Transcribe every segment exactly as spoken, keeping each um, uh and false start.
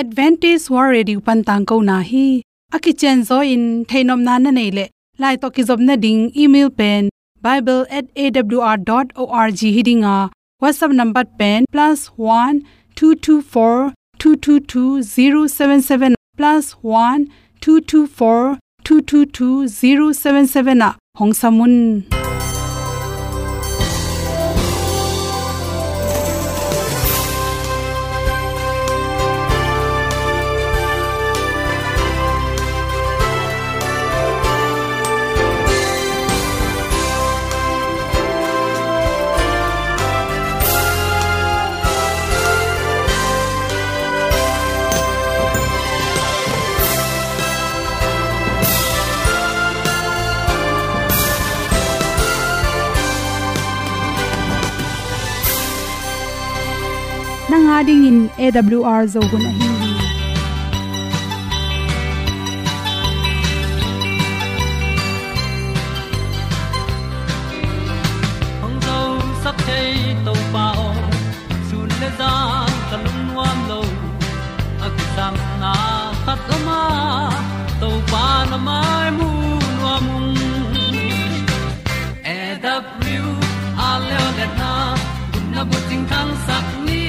Adventist World Radio pan tangkona hi. A kicianzaw in theihnopna na neih leh, lai tawh kizopna ding email pen bible at A W R dot org hi ding a, WhatsApp number pen plus one two two four two two two zero seven seven, plus one two two four two two two zero seven seven ah hong sam un. Nang a dingin A W R Zo hun ahi hi. Hong zosak thei Topa aw, sun le zan ka lungnuam lo. A kisapna khat om a, Topa na mai mu nuam ung. A W R leo le na, gupna bucing thangsak ni.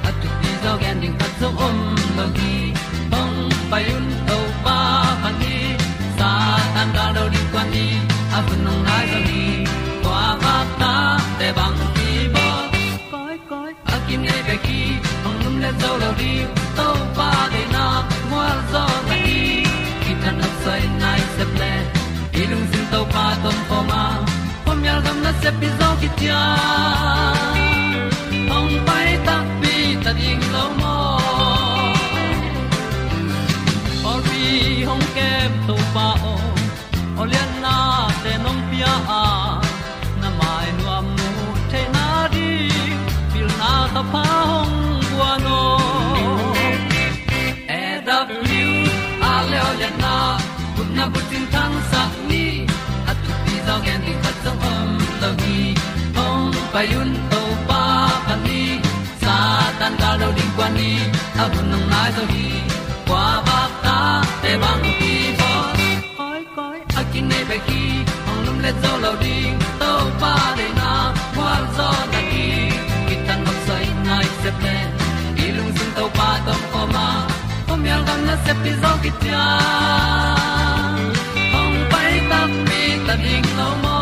A thupi zaw gen ding khat zong om lo hi. Hong pai un Topa phat ni. Satan gal do ding kuan ni. A hun hong nai zaw hi. Kua bak ta te bang hi bawl. Koi koi a kinei bek hi. Hong lum le zo lo ding. Topa deihna mual zaw na hi. Kithat nop soi nai sep le, i lungsim Topa tawh om khawm a, khuamial gam nasep pi zaw kician. Hong pai takpi ta ding lo maw? Pawlpi hong kem Topa aw, aw lianna te nong pia a, na mai nuam mu theihna ding pilna thapha hong guan aw. A W R leo le na, gupna bucing thangsak ni. A thupi zaw gen ding khat zong om lo hi. Hong pai un Topa phat ni. Satan gal do ding kuan ni. A hun hong nai zaw hi. Kua bak ta te bang hi bawl. Koi koi a kinei bek hi. Hong lum le zo lo ding. Topa deihna mual zaw na hi. Kithat nop soi nai sep le, i lungsim Topa tawh om khawm a, khuamial gam nasep pi zaw kician. Hong pai takpi ta ding lo maw?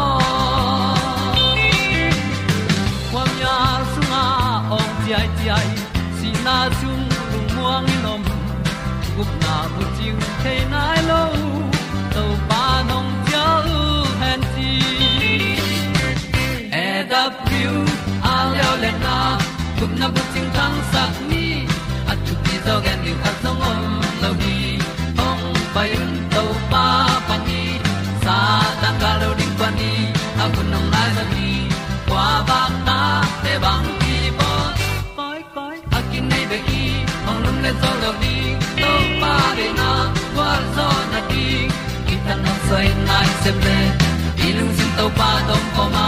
Khuamial sungah awng ciaiciai, sihna sung lungmuang in om. Gupna bucing thei nai lo, Topa nong cial hen ci. A W R leo le na, gupna bucing thangsak ni. A thupi zaw gen ding khat zong om lo hi. Hong pai un Topa phat ni. Satan gal do ding kuan ni. A hun hong nai zaw hi. Kua bak ta te bang hi bawl. Koi koi a kinei bek hi. Hong lum le zo lo ding. Topa deihna gualzawhna ding. Kithat nop soi nai sep le, i lungsim Topa tawh om khawm a,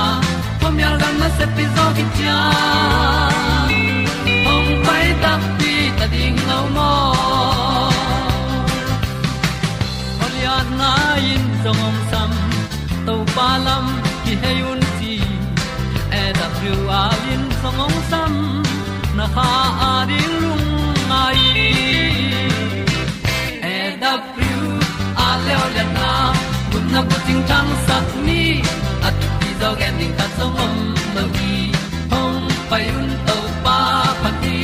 khuamial gam nasep pi zaw kician. Hong pai takpi ta ding lo maw? Aw lianna in zong hong sam, Topa lam kihei un ci. A W R in zong hong sam, na kha a ding lungngai. A W R leo lianna, gupna bucing thangsak ni. A thupi zaw gen ding khat zong om lo hi. Hong pai un Topa phat ni.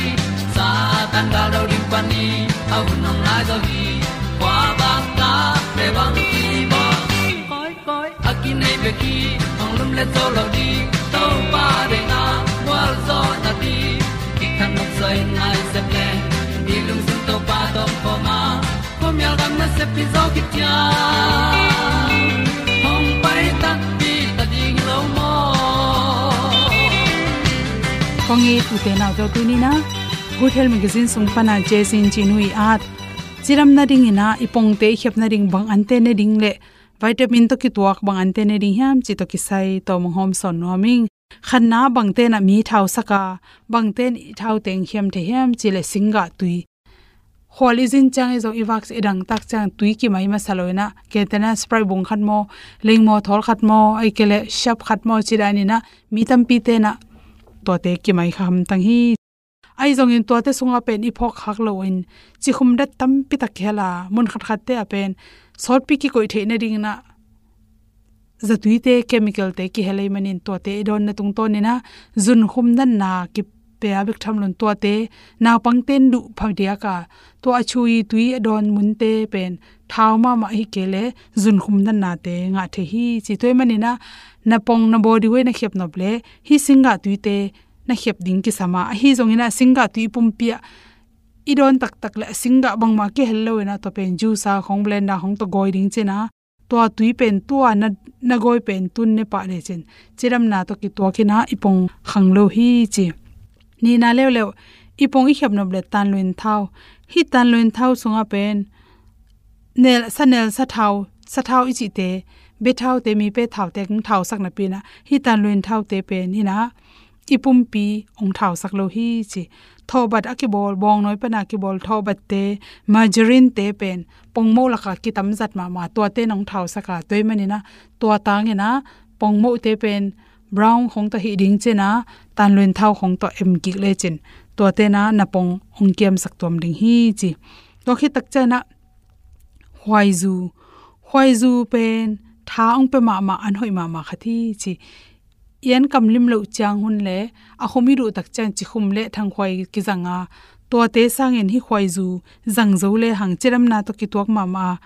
Satan gal do ding kuan ni. A hun hong nai zaw hi. Kua bak ta te bang hi bawl. Koi koi a kinei bek hi. Hong lum le zo lo ding. Topa deihna gualzawhna ding. Kithat nop soi nai sep le, i lungsim Topa tawh om khawm a, khuamial gam nasep pi zaw kician. Hong pai takpi ta ding lo maw? Kong it u te nau te, tuni in ah Good Health Magazine sung pan ah Jessy Chin Hui at cidam nading in ah, i pongte i khiap nading bang ante ne ding le vitamin tawh kituak bang ante ne ding hiam cih tawh kisai tawh mong hawm sawn nuam ing. Khatna, bangte in ah mi thau sak a, bangte in i thau teng khiam thei hiam cih leh singgah tui Khual i zin ciang i zong i vak i dangtak ciang tui kimai masa lo inah, kei tena Sprite bung khat maw, lengmaw thawl khat maw, ahih kei leh Shark khat maw ci dan inah, mi tampi tenah tuate kimai kha hamtang hi. Ahi zongin tuate sungah pen i phawk khak loin cikhum dat tampi tak kihel a, mun khatkhatte ah pen sawtpi kikoih theih nading inah zatuite, chemicalte kihel ahih manin tuate i dawnna tungtawn inah zunkhum natna kipia bek tham loin tuate naupangte in duh phadiak a, tua a chuhi tui a dawn munte pen thau mahmah ahih kei leh zunkhum natnate ngah thei hi ci. Tua ahih man inah na pong, na body weight na khiap nop leh hih singgah tuite na khiap ding kisam a, ahi zong inah singgah tui i pumpi ah i dawn taktak leh a singgah bangmah kihel lo inah tua pen juice a khong, blender khong tawh gawi ding ci inah, tua tui pen tua na, na gawi pen tun ne pah lecin cidamna tawh kituak inah i pong khang lo hi ci. Nihna leuleu, i pong i khiap nop leh tanluin thau. Hih tanluin thau sungah pen nel, sa nel, sa thau, sa thau i cihte, bia thaute, mi pe thaute hong thausak napi inah hih tanluin thaute pen inah i pumpi hong thausak lo hi ci. Thawhbat a kibawl, bawngnawi pana kibawl thawhbatte, margarine-te pen pongmoh lakah kitam zat mahmah, tuate in hong thausak a, tua ahih man inah tua tang inah pongmohte pen brown khong tawh hih ding ci inah tanluin thau khong tawh em kik lecin tuate inah na pong hong kiamsak tuam ding hi ci. Tua khit tak ciang inah khuaizu. Khuaizu pen tha hong pia mahmah, an hoih mahmah khat hi ci. I an kam lim loh ciang hun leh a khum i duh tak ciang cikhum leh thangkhuai kizang a, tuate sangin hih khuaizu zang zo lehang cidamna tawh kituak mahmah a,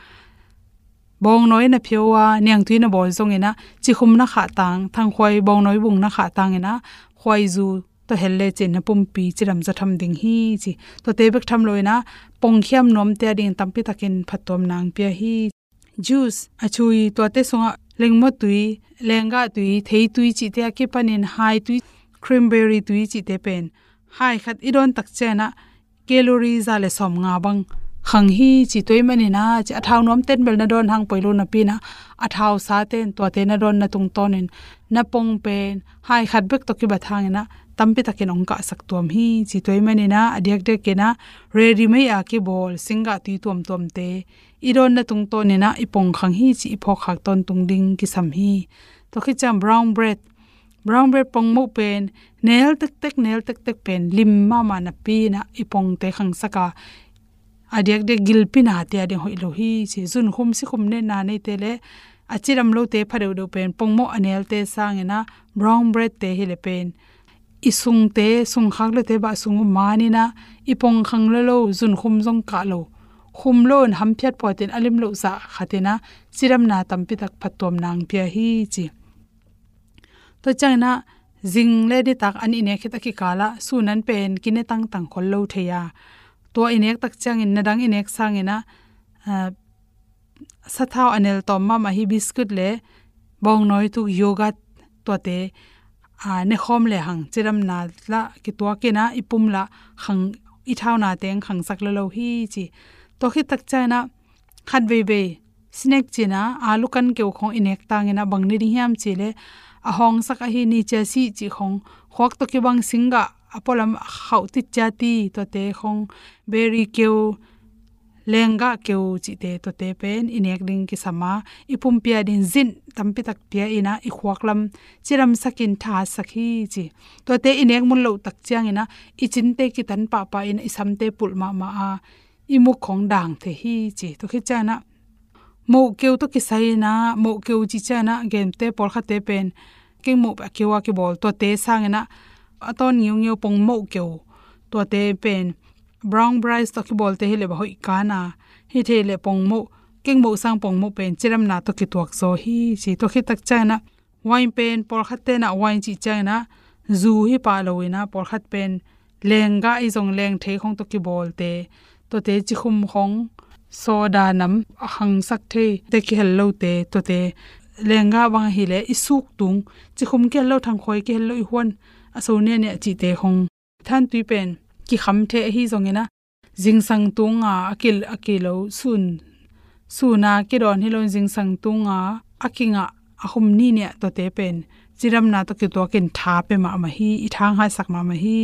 bawngnawi na phio a, niangtui na bawl zong inah cikhum na khah tang, thangkhuai bawngnawi bung na khah tang inah khuaizu tawh hel lecin na pumpi cidam zaw tham ding hi ci. Tuate bek tham lo inah pongkhiam nuamte ading tampi takin phattuamna hong pia hi. Juice, a chuhi, tuate sungah lengmaw tui, lenggah tui, theitui cihte a kipanin hai tui, cranberry tui cihte pen hai khat i dawn tak ciang inah calorie za leh sawmnga bang khang hi ci. Tua ahih man inah ci, a thau nuamte in bel na dawn hang poi lo napi inah a thausate in tuate na dawnna tungtawnin na pong pen hai khat bek tawh kibat hang inah tampi takin hong kahsak tuam hi ci. Tua ahih man inah a diakdiak inah ready-made a kibawl singgah tui tuamtuamte i dawnna tungtawn inah i pong khang hi ci, i phawk khak tawntung ding kisam hi. Tua khit ciang brown bread. Brown bread pongmoh pen nel tektek, nel tektek pen lim mahmah napi inah i pongte khangsak a, a diakdiak gilpi nate ading hoih lo hi ci. Zunkhum sikhum natna neite leh a cidam lote pha deuhdeuh pen pongmoh a nelte sang inah brown bread-te hi leh pen i sungte, sungkhak lote bah sung uh man inah i pong khang lua lo, zunkhum zong kah lo, khum lo in hamphiat phuatin a lim loh zah khat inah cidamna tampi tak phattuamna hong pia hi ci. Tua ciang inah zing leh nitak an i nek khit a kikal ah sun an pen kine tangtang khol lo thei a, tua i nek tak ciangin na dang i nek sang inah, ah, sathau a nel tawm mahmah hi biscuit leh bawngnawi tuk, yogurt, tuate, ah, nekhawm lehang cidamna lah kituak inah i pum lah khang, i thaunate hong khangsak lua lo hi ci. Tua khit tak ciang inah khat veivei snack ci inah alu kan keu khong i nek tang inah bang ni ding hiam cih leh a hawngsak ahi ni chia seed cih khong, khuak tawh kibang singgah a pualam khauh tit ciati, tuate khong, berry keu, lenggah keu cihte, tuate pen i nek ding kisam a, i pumpi ading zinc tampi tak pia inah i khuak lam cidamsakin thasak hi ci. Tuate i nek mun loh tak ciang inah i cinte kitan pahpah inah i samte pulh mahmah a, i muk khong dang thei hi ci. Tua khit ciang inah moh keu tawh kisai inah, moh keu cih ciang inah, gemte pawlkhatte pen kengmoh a keu a kibawl, tuate sang inah a tawn ngiungeu pongmoh keu, tuate pen brown rice tawh kibawlte hi leh bah hoih kan a, hi thei leh pongmoh, kengmoh sang pongmoh pen cidamna tawh kituak zaw hi ci. Tua khit tak ciang inah wine pen pawlkhatte inah wine cih ciang inah zu hi pah lo inah pawlkhat pen lenggah i zong lengthei khong tawh kibawlte, tuate cikhum khong, soda nam a khangsak theite kihel lote, tuate lenggah bang ahi leh i suk tung, cikhum kihel lo, thangkhuai kihel lo, i huan a so niahniah cihte khong. Thantui pen kikham thei ahi zong inah zingsang tunga a ki, a ki lo, sun, suna kidawn hi lo, zingsang tunga a kingah a khum nihniah, tuate pen cidamna tawh kituakin tha pia mahmah hi, i thanghaisak mahmah hi.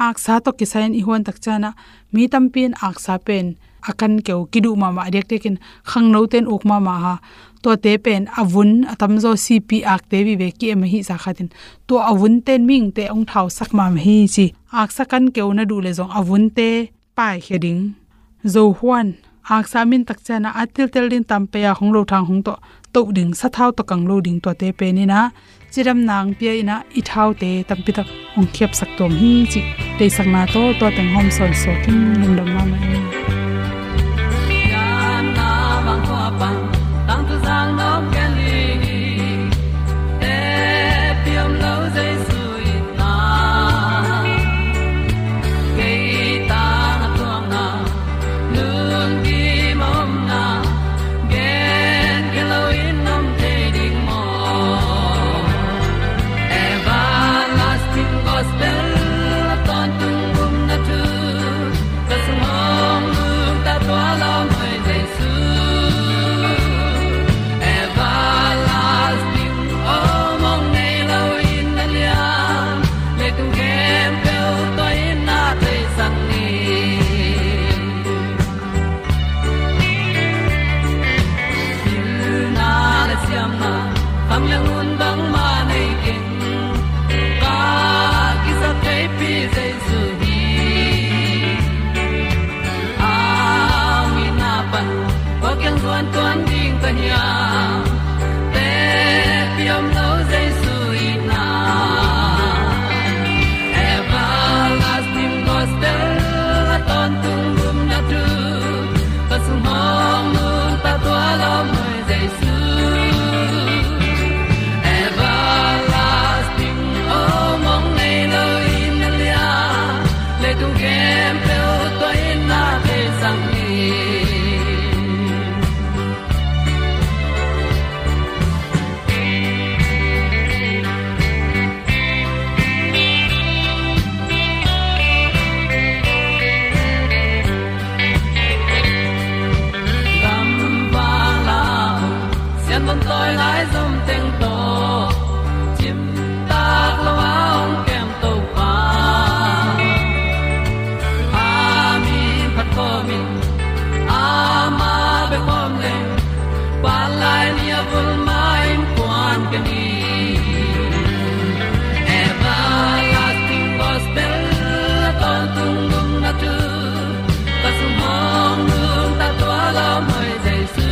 aksa tawh kisai in i huan tak ciangin ah mi tampi in aksa pen a kan keu kiduh mahmah a diakdiakin khangnote in uk mahmah a, tuate pen a vun a tamzaw sipi akte vive ki-em ahi zah khatin tua a vunte in mihingte hong thausak mahmah hi ci. Aksa kan keu na duh leh zong a vunte paikhia ding. Zo huan aksa min tak ciangin ah a teltel ding tam pei a hong lo thang hong tawh toh ding, sathau tawh kang lo ding, tuate pen in ah cidamna hong pia in ah i thaute tampi tak hong khiapsak tuam hi cih deihsakna tawh tua teng hawm sawn suak in lungdam mahmah hi. Everlasting gospel a tawntung gumna thu ka sung hong nungta tua lawm hoi Jesu. Everlasting aw mong nei lo in na liam, leitung khempeuh tua in na theisak ni. Pilna le siamna, khamliang hun bangmah nei keng, ka kisap theipi Jesu hi. Au itna pan kua kiang zuan tuan ding ka hiam? Tepi om lo Jesu itna. Everlasting gospel a tawntung gumna thu ka sung hong nungta tua lawm hoi Jesu. Everlasting aw mong nei lo in na liam, leitung khempeuh tua in na theisak ni. Gamvang la sian bawm tawi lai zom teng tawh cimtak lo a hong kem Topa. A min phat kawmin ama bek om leng, pan lai ni a vul ma in kuan ka ni. Everlasting gospel a tawntung gumna thu ka sung hong nungta tua lawm hoi Jesu.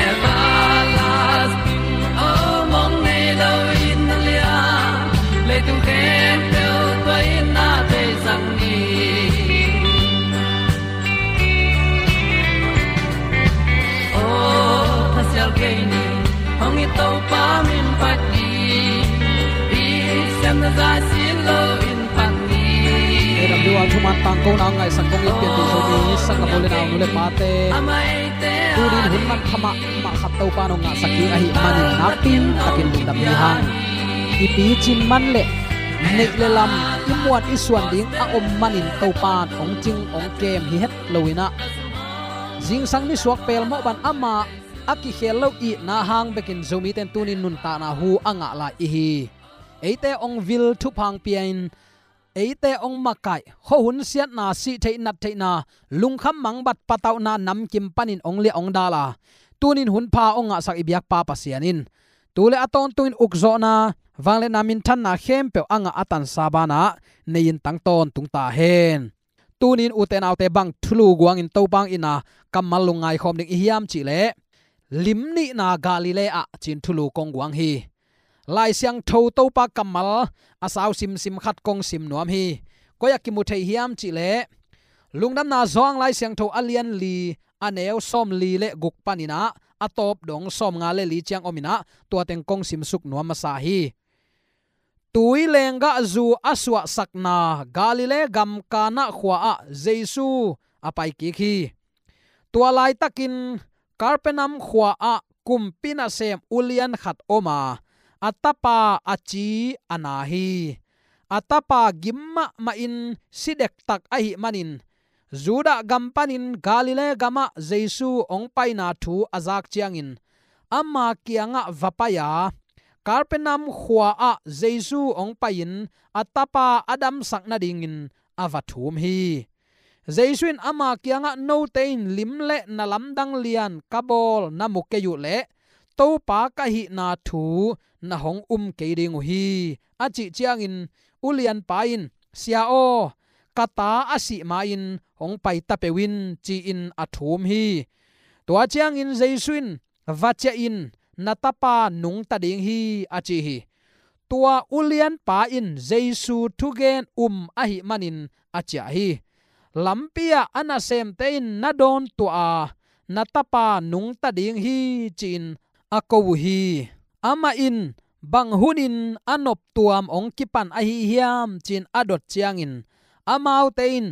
Everlasting aw mong nei lo in na liam, leitung khempeuh tua in na theisak ni. Aw thasial kei ni, hong it Topa min phat ni. I siamna zah sin lo in phat ni. A W R thuman tangkona ngaihsak kong it pianpih Zomi sanggamnu le naunu le pate, tunin hun manpha mahmah khat Topa in hong ngahsak ding ahih manin nakpi takin lungdam hi hang. I picin man le neih le lam, i muan i suan ding a om manin Topa in hong cing hong kem hi het lo in ah, zingsang nisuak pelmawh bang amah a kikhel lo itna hang bekin Zomite in tunin nuntakna hu a ngah lai i hi. Eite hong vil, thupha hong pia in, eite hong makaih, khuahun siatna, sih theih nat theihna, lungkham mangbat patauhna namkim panin hong liah hong dal a, tunin hun pha hong ngahsak i biakpa Pasian in tu le a tawntungin ukzawhna, vangliatna, minthanna khempeuh a ngah a tansa banah nei-in tang tawntung ta hen. Tunin ute naute, bang thulu guangin Topa hong itna kammal lungngai khawm ding i hiam cih leh, lim nihna Galilee ah ci-in thulu kong guang hi. Lai Siangtho Topa kammal a sau simsim khat kong sim nuam hi. Koi ah kimu thei hiam cih leh, Lungdamna Johan Lai Siangtho a lian li, a neu sawmli le guk panin ah a tawp dong sawmnga le li ciang om in ah, tua teng kong simsuk nuam masa hi. Tui lenggah zu a suahsakna Galilee gam Kana khua-ah Jesu a pai kik hi. Tua laitakin Kapernaum khua-ah kumpi nasem ulian khat om a, a tapa a ci a na hi. A tapa gim mahmahin si dektak ahih manin, Judah gam panin Galilee gamah Jesu hong paina thu a zak ciangin, ama kiangah va pai a, Kapernaum khua-ah Jesu hong pai-in a tapa a damsak nadingin a va thum hi. Jesu in ama kiangah, "Note in lim le na lamdang lian ka bawl na mu kei uh leh Topa ka hihna thu na hong um kei ding uh hi," a cih ciangin ulianpa in, "Sia aw, ka ta a sih ma-in hong pai ta peuh in," ci-in a thum hi. Tua ciangin Jesu in, "Va ciah in, na tapa nungta ding hi," a ci hi. Tua ulianpa in Jesu thugen um ahih manin a ciah hi. Lampi-ah a nasemte in na dawn tuah a, "Na tapa nungta ding hi," ci-in a ko uh hi. Amah in, "Bang hunin a noptuam hong kipan ahi hiam?" ci-in a dot ciangin, amaute in,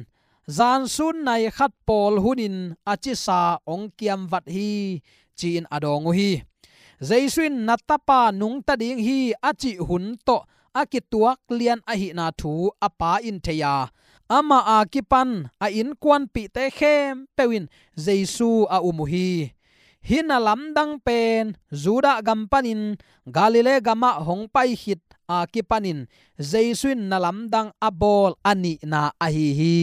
"Zan sun nai khat pawl hunin a cisa hong kiamvat hi," ci-in a dawng uh hi. Jesu in, "Na tapa nungta ding hi," a cih hun tawh a kituak lian ahihna thu a pa in thei a, amah a kipan a innkuanpihte khempeuh in Jesu a um uh hi. Hih na lamdang pen Judah gam panin Galilee gamah hong pai khit a kipanin Jesu in na lamdang a bawl a nihna ahi hi.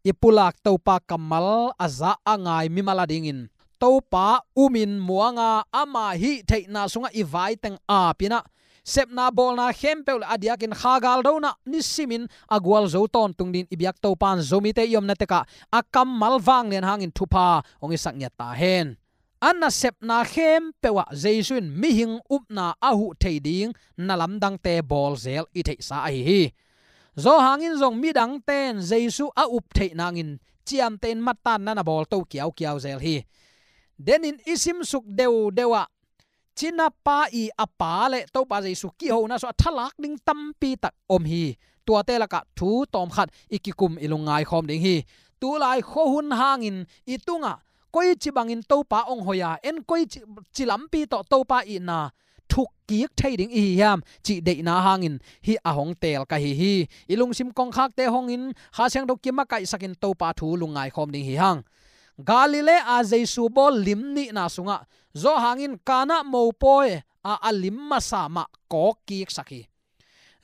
I pulak Topa kammal a za a ngai mimal adingin Topa umin muanga ama hih theihna sungah i vaiteng apinah sepna bawlna khempeuh le a diakin kha galdona nisimin a gualzo tawntung dingin i biak Topa in Zomite i omna tekah a kammal vanglian hangin thupha hong i sak ngiat ta hen. A nasepna khempeuh ah Jesu in mihing upna a huh thei ding na lamdangte bawl zel i theihsa ahi hi. Johan in zong midangte in Jesu a up theih nangin ciamtein mattan na na bawl to kiaukiau zel hi. Denin i simsuk deudeu ah cinapa i a pa le Topa Jesu kihona sua thalak ding tampi tak om hi. Tuate lakah thu tawmkhat i kikum i lungngai khawm ding hi. Tulai khuahun hangin i tungah koici bangin Topa hong hoih a, en koici, ci lampi tawh Topa itna thukkik thei ding i hi hiam cih deihna hangin hih a hong teel ka hi hi. I lungsim kongkhakte hongin Kha Siangtho kimakaihsakin Topa thu lungngai khawm ding hi hang. Galilee a Jesu bawl lim nihna sungah Johan in Kana mopawi a a lim masa mah kawkkiksak hi.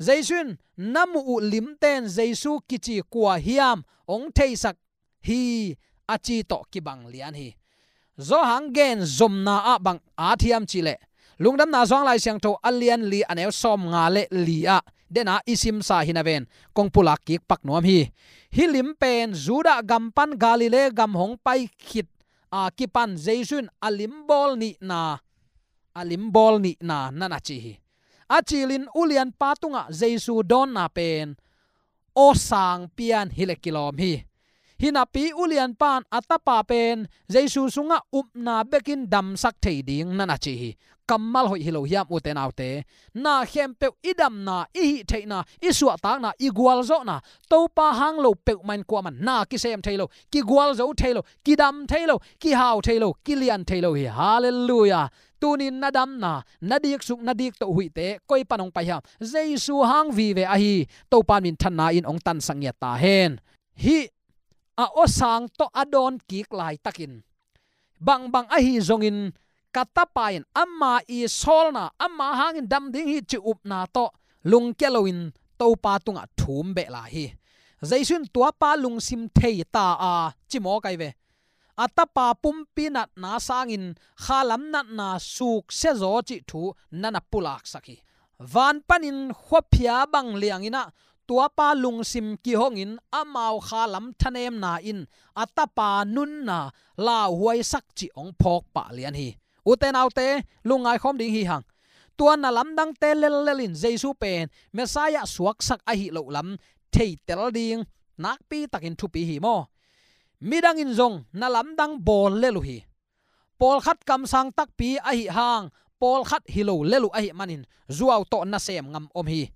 Jesu in, "Na muh uh limten Jesu kici kua hiam hong theisak hi," a ci tawh kibang lian hi. Johan gen zomna ah bang at hiam cihleh, Lungdamna Johan Lai Siangtho a lian li a neu sawmnga le li ah dena i simsa hi naven kong pulak kik pak nuam hi. Hih lim pen Judah gam pan Galilee gam hong pai khit a kipan Jesu in a lim bawl nihna, a lim bawl nihna na na ci hi. A cilin ulianpa tungah Jesu dawnna pen aw sang pian hi le kilawm hi. Hinapi ulianpa in a tapa pen Jesu sungah upna bekin damsak thei ding na na ci hi. Kammal hoih hi lo hiam, ute naute? Na khempeuh i damna, i hih theihna, i suahtakna, i gualzawhna, Topa hang lo peuhmah in kuamah in na kisem thei lo, kigualzo thei lo, kidam thei lo, kihau thei lo, kilian thei lo hi. Halleluiah. Tunin na damna, na diksuk, na diktoh huihte koi pan hong pai hiam? Jesu hang vive ahi. Topa minthanna in hong tansak ngiat ta hen. Hih a awsang tawh a dawn kik laitakin bangbang ahi zongin ka tapa in ama i sawlna, ama hangin dam ding hi cih upna tawh lungkia loin Topa tungah thum beh lai hi. Jesu in tuapa lungsim thei ta a, ci mawk ai ve. A tapa pumpi natna sangin khalam natna suksia zaw cih thu na na pulaksak hi. Van panin khuaphia bang liangin ah tuapa lungsim kihongin amau khalam thanemna in a tapa nunna lauhuaisak cih hong phawk pah lian hi. Ute naute, lungngai khawm ding hi hang. Tua na lamdangte lellel in Jesu pen Messiah suaksak ahi loh lam theitel ding nakpi takin thupi hi maw? Midang in zong na lamdang bawl lel uh hi. Pawlkhat kamsang takpi ahi hang, pawlkhat hi lo lel uh ahi manin zuau tawh nasem ngam om hi.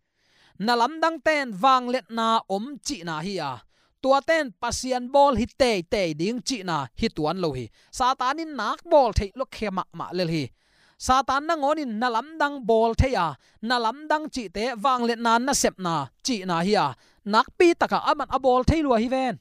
Na lamdangten vangliatna om cihna hi a, tuaten Pasian bawl hi teitei ding cihna hi tuan lo hi. Satan in nak bawl theih lo khe mahmah lel hi. Satan nangawnin na lamdang bawl thei a, na lamdang cihte vangliatna nasepna cihna hi a, nakpi taka aman a bawl thei lua hi ven.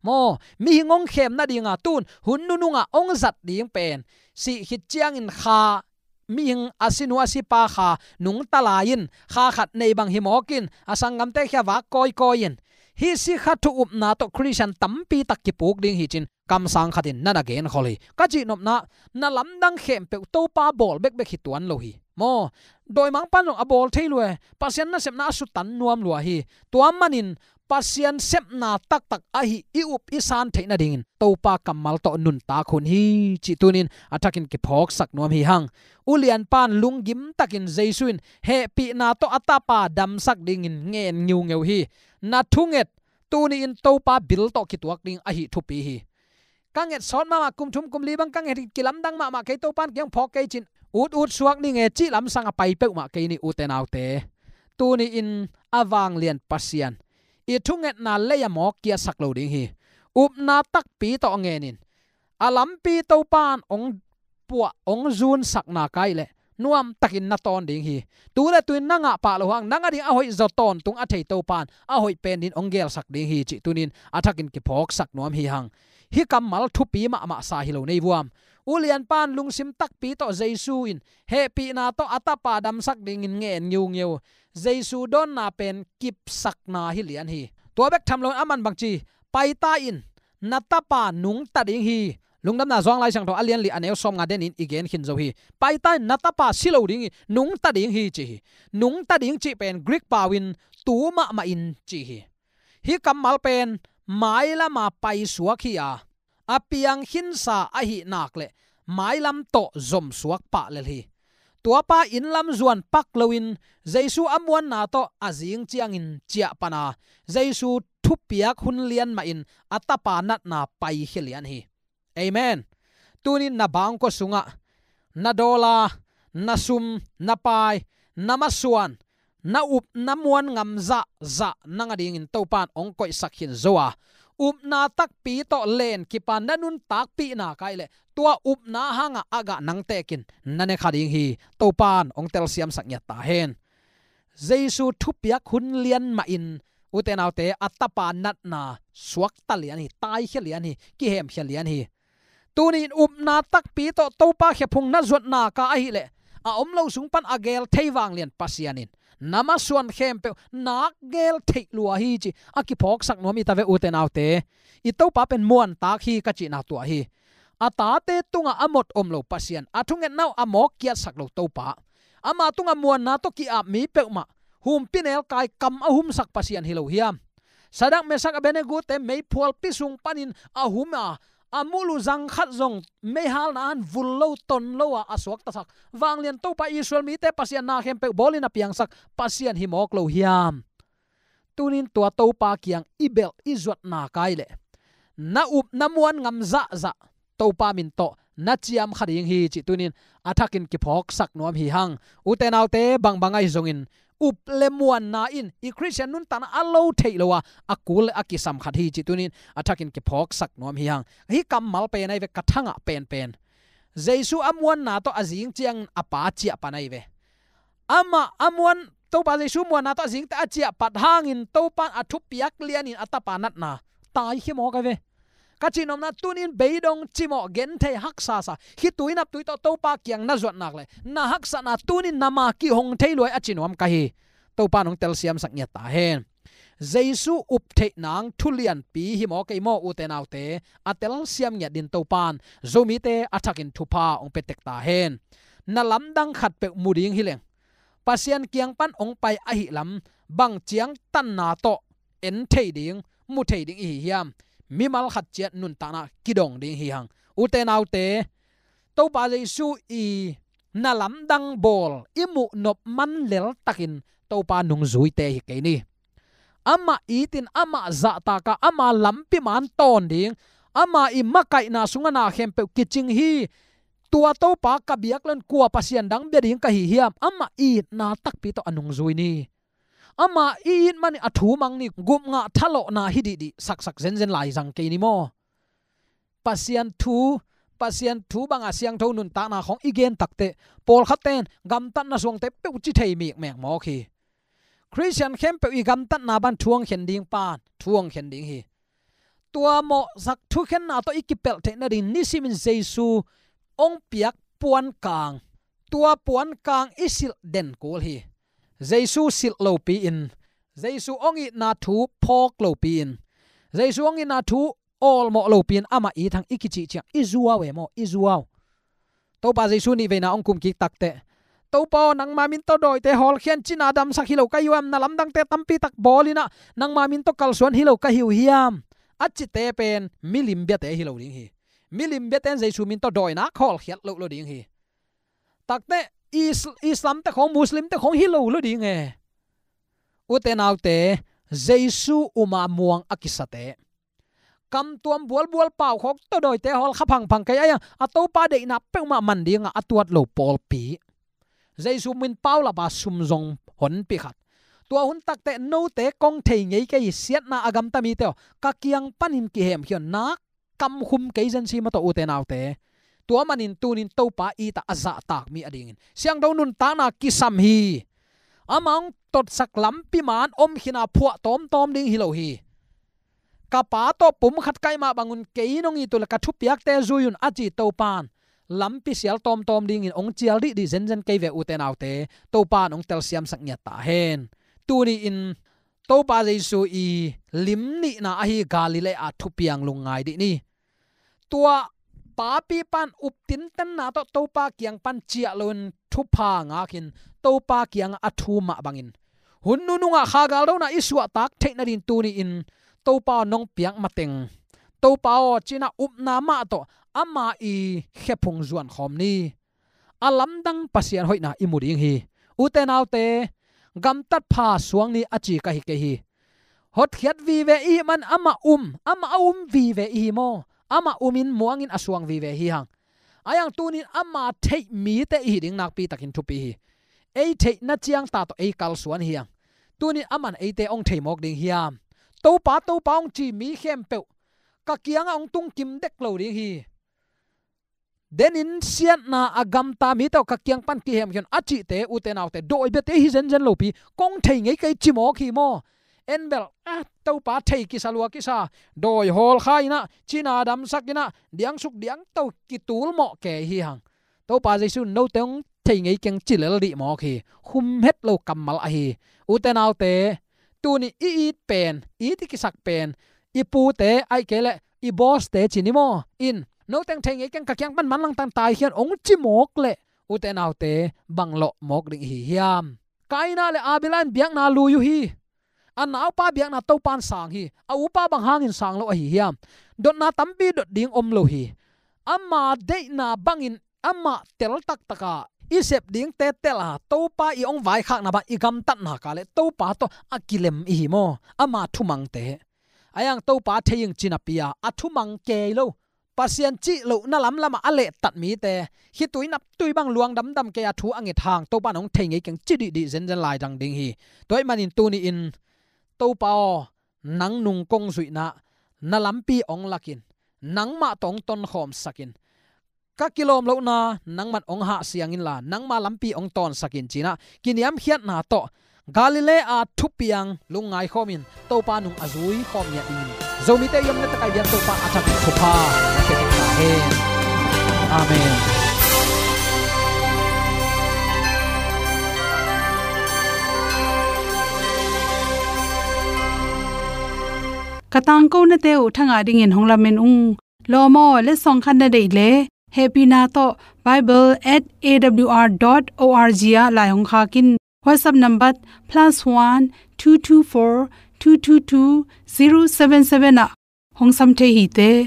Maw, mihing hong khem nadinga tun hun nunungah hong zat ding pen sih khit ciangin kha mihing a sinu a sipa kha nungta lai-in, kha khat nei bang hi mawkin, a sanggamte khia vak kawikawi-in, hih sikha thu upna tawh Khristian tampi tak kipuk ding hi ci-in kamsang khatin na na genkhol hi. Ka cihnopna, na lamdang khempeuh Topa bawl bekbek hi tuan lo hi. Maw, dawimangpa'n zong a bawl thei lua e, Pasian nasepna a sutan nuam lua hi. Tua manin Pasian sepna taktak ahi i up i san theih nadingin Topa kammal tawh nuntak hun hi cih tunin a thakin kiphawksak nuam hi hang. Ulianpa'n lunggim takin Jesu in hehpihna tawh a tapa damsak dingin ngen ngiungeu hi. Na thunget tuni-in Topa bil tawh kituak ding ahi thupi hi. Ka nget sawt mahmah, kum thum kum li bang ka nget hi, kilamdang mahmah kei, Topa'n kiang phawk kei cin, ut ut suak ning e cih lamsang a pai peuhmah kei ni, ute naute. Tuni-in a vanglian Pasian i thungetna lei a mawk kiasak lo ding hi. Upna takpi tawh ngenin, a lampi Topa'n ong puah ong zunsakna kai leh nuamtakin na tawn ding hi. Tu le tuin na ngah pah lo hang, nang a ding a hoih zaw tawntung a thei Topa'n a hoih pen din ong gelsak ding hi cih tunin a thakin kiphawksak nuam hi hang. Hih kammal thupi mahmah sa hi lo nei vuam. Ulianpa'n lungsim takpi tawh Jesu in hehpihna tawh a tapa damsak dingin ngen ngiungeu. Jesu dawnna pen kipsakna hi lian hi. Tua bek tham loin aman bangci, paita in, na tapa nungta ding hi. Lungdamna Zuang Lai Siangtho a lian li a neu sawmnga denin i gen khin zo hi. Paita in na tapa si lo ding hi, nungta ding hi ci hi. Nungta ding cih pen Greek pau-in tu mahmah in ci hi. Hih kammal pen mailama paisuak hi a, a piang khinsa ahi nak leh mailam tawh zomsuak pah lel hi. Tuapa inn lam zuan pak loin Jesu a muanna tawh a zing ciangin ciah pan a, Jesu thupiak hun lian mahin a tapa natna paikhia lian hi. Amen. Tunin na bangkua sungah na dollar, na sum, na pai, na masuan, na up na muan ngam zahzah nang a dingin Topa'n ong koihsak khin zo a, upna takpi tawh len kipan na nuntakpihna kai leh tua upna hangah a gah nang tekin na ne kha ding hi. Topa'n ong telsiamsak ngiat ta hen. Jesu thupiak hun lian mahin, ute naute, a tapa natna suakta lian hi, taikhia lian hi, kihemkhia lian hi. Tuni-in upna takpi tawh Topa khephung na zuatna ka ahih leh, a om lo sung pan a gel thei vanglian Pasian in na masuan khempeuh nak gel theih lua hi ci a kiphawksak nuam hi ta ve, ute naute. I Topa pen muantak hi ka cihna tua hi. A tate tungah a mot om lo Pasian, a thungetna uh a mawk kiatsak lo Topa, ama tungah muanna tawh ki-ap mi peuhmah, humpinelkai kam a humsak Pasian hi lo hiam? Sadak, Mesak, Abednego-te meiphualpi sung panin a hum a, a mulu zang khat zong meihalna han vul lo, ton lo a, a suaktasak vanglian Topa, Israel mite Pasian, na khempeuh bawlin a piangsak Pasian hi mawk lo hiam? Tunin tua Topa kiang i belh i zuatna kai leh, na up na muan ngam zahzah Topa min tawh na ciam kha ding hi cih tunin a thakin kiphawksak nuam hi hang. Ute naute, bangbang ahi zongin up le muanna in i Khristian nuntakna a lo theih lo a, a kul le a kisam khat hi cih tunin a thakin kiphawksak nuam hi hang. Hih kammal pen ahi ve, ka thangah penpen. Jesu a muanna tawh a zing ciangin a Pa ciah pan ahi ve. Amah a muan, Topa Jesu muanna tawh a zingte a ciah pat hangin Topa'n a thupiak lianin a tapa natna taikhia mawk ahi ve. Ka cihnopna, tunin beidong cimawh, genthei, haksasa, khitui naptui tawh Topa kiang na zuat nak leh na haksatna tunin na ma kihong thei lua hi a ci nuam ka hi. Topa'n hong telsiamsak ngiat ta hen. Jesu up theih nang thu lianpi hi maw kei maw, ute naute, a telsiam ngiat din Topa'n Zomite a thakin thupha hong pia tek ta hen. Na lamdang khatpeuh mu ding hi leng, Pasian kiang pan hong pai ahih lam bang ciangtanna tawh en thei ding, mu thei ding i hi hiam? Mimal khat ciat nuntakna kidong ding hi hang. Ute naute, Topa Jesu i na lamdang bawl i muh nop man leltakin Topa nungzuite hi kei ni. Amah itin, amah zahtak a, ama lampi man tawn ding, ama i makaihna sungah na khempeuh kicing hi. Tua Topa ka biak leng kua pasian dang bia ding ka hi hiam? Amah itna takpi tawh a nungzui ni. Ama i it manin a thu mang ni, gupngah thalawhna hi dihdih saksak zenzen lai zang kei ni maw? Pasian thu, Pasian thu banga siangtho nuntakna khawng i gen takteh, pawlkhatte in gamtatna suangte peuh ci thei mikmek mawk hi. Khristian khempeuh i gamtatna bang thu hong khen ding pan thu hong khen ding hi. Tua mawhsak thukhenna tawh i kipelh theih nading nisimin Jesu hong piak puankang tua puankang i silh den kul hi. Jesu silh lopi-in, Jesu hong itna thu phawk lopi-in, Jesu hong itna thu awlmawh lopi-in amah it hang i kicih ciang i zuau e maw, i zuau. Topa Jesu nih veina hong kum kik takteh, Topa aw, nangma min tawh dawite hawlkhia in, cina damsak hi lo ka hi uh hiam, na lamdangte tampi tak bawl in ah nangma min tawh kalsuan hi lo ka hi uh hiam, a cite pen milim biate hi lo ding hi. Milim biate in Jesu min tawh dawinak hawlkhiat loh lo ding hi. Takteh Is-, Islamte khawng, Muslimte khawng hi lo lo ding e. Ute naute, Jesu uma muang a kisate, kamtuam bualbual paukhawk tawh dawite hawl kha phangphang kei a, a Topa deihna peuhmah man dingah a tuat lo pawlpi, Jesu min paulap a sum zong honpi khat. Tua hun takteh note kong thei ngei kei hi, siatna a gamta mite aw, ka kiang panin kihemkhia un, nak kamkhum kei zen si maw tawh, ute naute. Tua manin tunin Topa itah a zahtak mi adingin siangtho nuntakna kisam hi. Amah hong totsak lampi man om khin a phuah tawmtawm ding hi lo hi. Ka Pa tawh pum khat ka hih mah bangun kei in hong it uh leh ka thupiakte zui un, a ci Topa in lampi sial tawmtawm dingin hong cial dihdih zenzen kei ve, ute naute. Topa in hong telsiamsak ngiat ta hen. Tuni-in Topa Jesu i lim nihna ahi Galilee a thupiang lungngai dih ni. Tua papi pan up tintenna tawh Topa kiang pan ciah loin thupha ngak in, Topa kiangah a thu mah bangin hun nunungah kha galdona i suahtak theih nadin tuni-in Topa aw, nong piak mateng, Topa aw, cinah upna mah tawh ama i khephung zuankhawm ni. A lamdang Pasian hoihna i mu ding hi. Ute naute, gamtat pha suang ni a ci ka hi kei hi. Hotkhiat vive i hih man amah um, amah a um vive i hi maw? Amah umin muangin a suang vive hi hang. A iang tunin ama theih mite i hi ding nakpi takin thupi hi. Ei theihna ciang ta tawh ei kalsuan hi hang. Tunin aman eite hong thei mawk ding hiam? Topa, Topa hong ci mi khempeuh ka kiangah hong tung kim dek lo ding hi. Denin siatna a gamta mite aw, ka kiang pan kihemkhia un, a cihte, ute naute, dawi biate hi zenzen lopi, kong thei ngei kei ci mawk hi maw? En bel, ah, Topa thei kisa lua kisa, dawi hawlkha in ah, cina damsak in ah, diangsuk diangto kitul mawh kei hi hang. Topa Jesu in note hong thei ngei keng ci lel dih mawk hi. Khum het lo kammal ahi. Ute naute, tuni i it pen, it i kisak pen, i pute, ahih kei leh i bawste ci ni maw? In, note hong thei ngei keng, ka kiang pan manlang tan taikhia un hong ci mawk leh, ute naute, bang lawh mawk ding i hi hiam? Kaina le Abela in biakna lui uh hi. A naupa biakna Topa in sang hi. A upa bang hangin sang lo ahi hiam? Dotna tampi dot ding om lo hi. Ama deihna bangin amah tel taktaka i sep dingte tel a, Topa i hong vaikhakna bang i gamtatna ka leh Topa tawh a kilem i hi maw? Ama thumangte. A iang Topa thei ing ci napi a, a thumang kei lo, Pasian cih lohna lamlamah a lehtat mite, khitui naptui bang luang damdam kei a thu a nget hang, Topa in hong thei ngei keng ci dihdih zenzen laidang ding hi. Tua ahih manin tuni-in, Topa aw, nang nung kong zuihna, na lampi hong lakin, nangmah tawh hong tonkhawmsakin, ka kilawm lohna nangman hong hahsiang inla, nangma lampi hong tawnsakin ci-in ah, kiniamkhiatna tawh Galilee a thupiang lungngai khawmin Topa nung a zui khawm ngiat dingin Zomite i omna takai bian Topa a thakin thupha na pia ta hen. Amen. Ka tangkonate uh thangah dingin hong lamen ung. Lawm aw, letsong khat na deih leh, hehpihna tawh bible at A W R dot O R G ah lai hong khak in. WhatsApp number plus one two two four two two two zero seven seven ah hong sam thei hi te.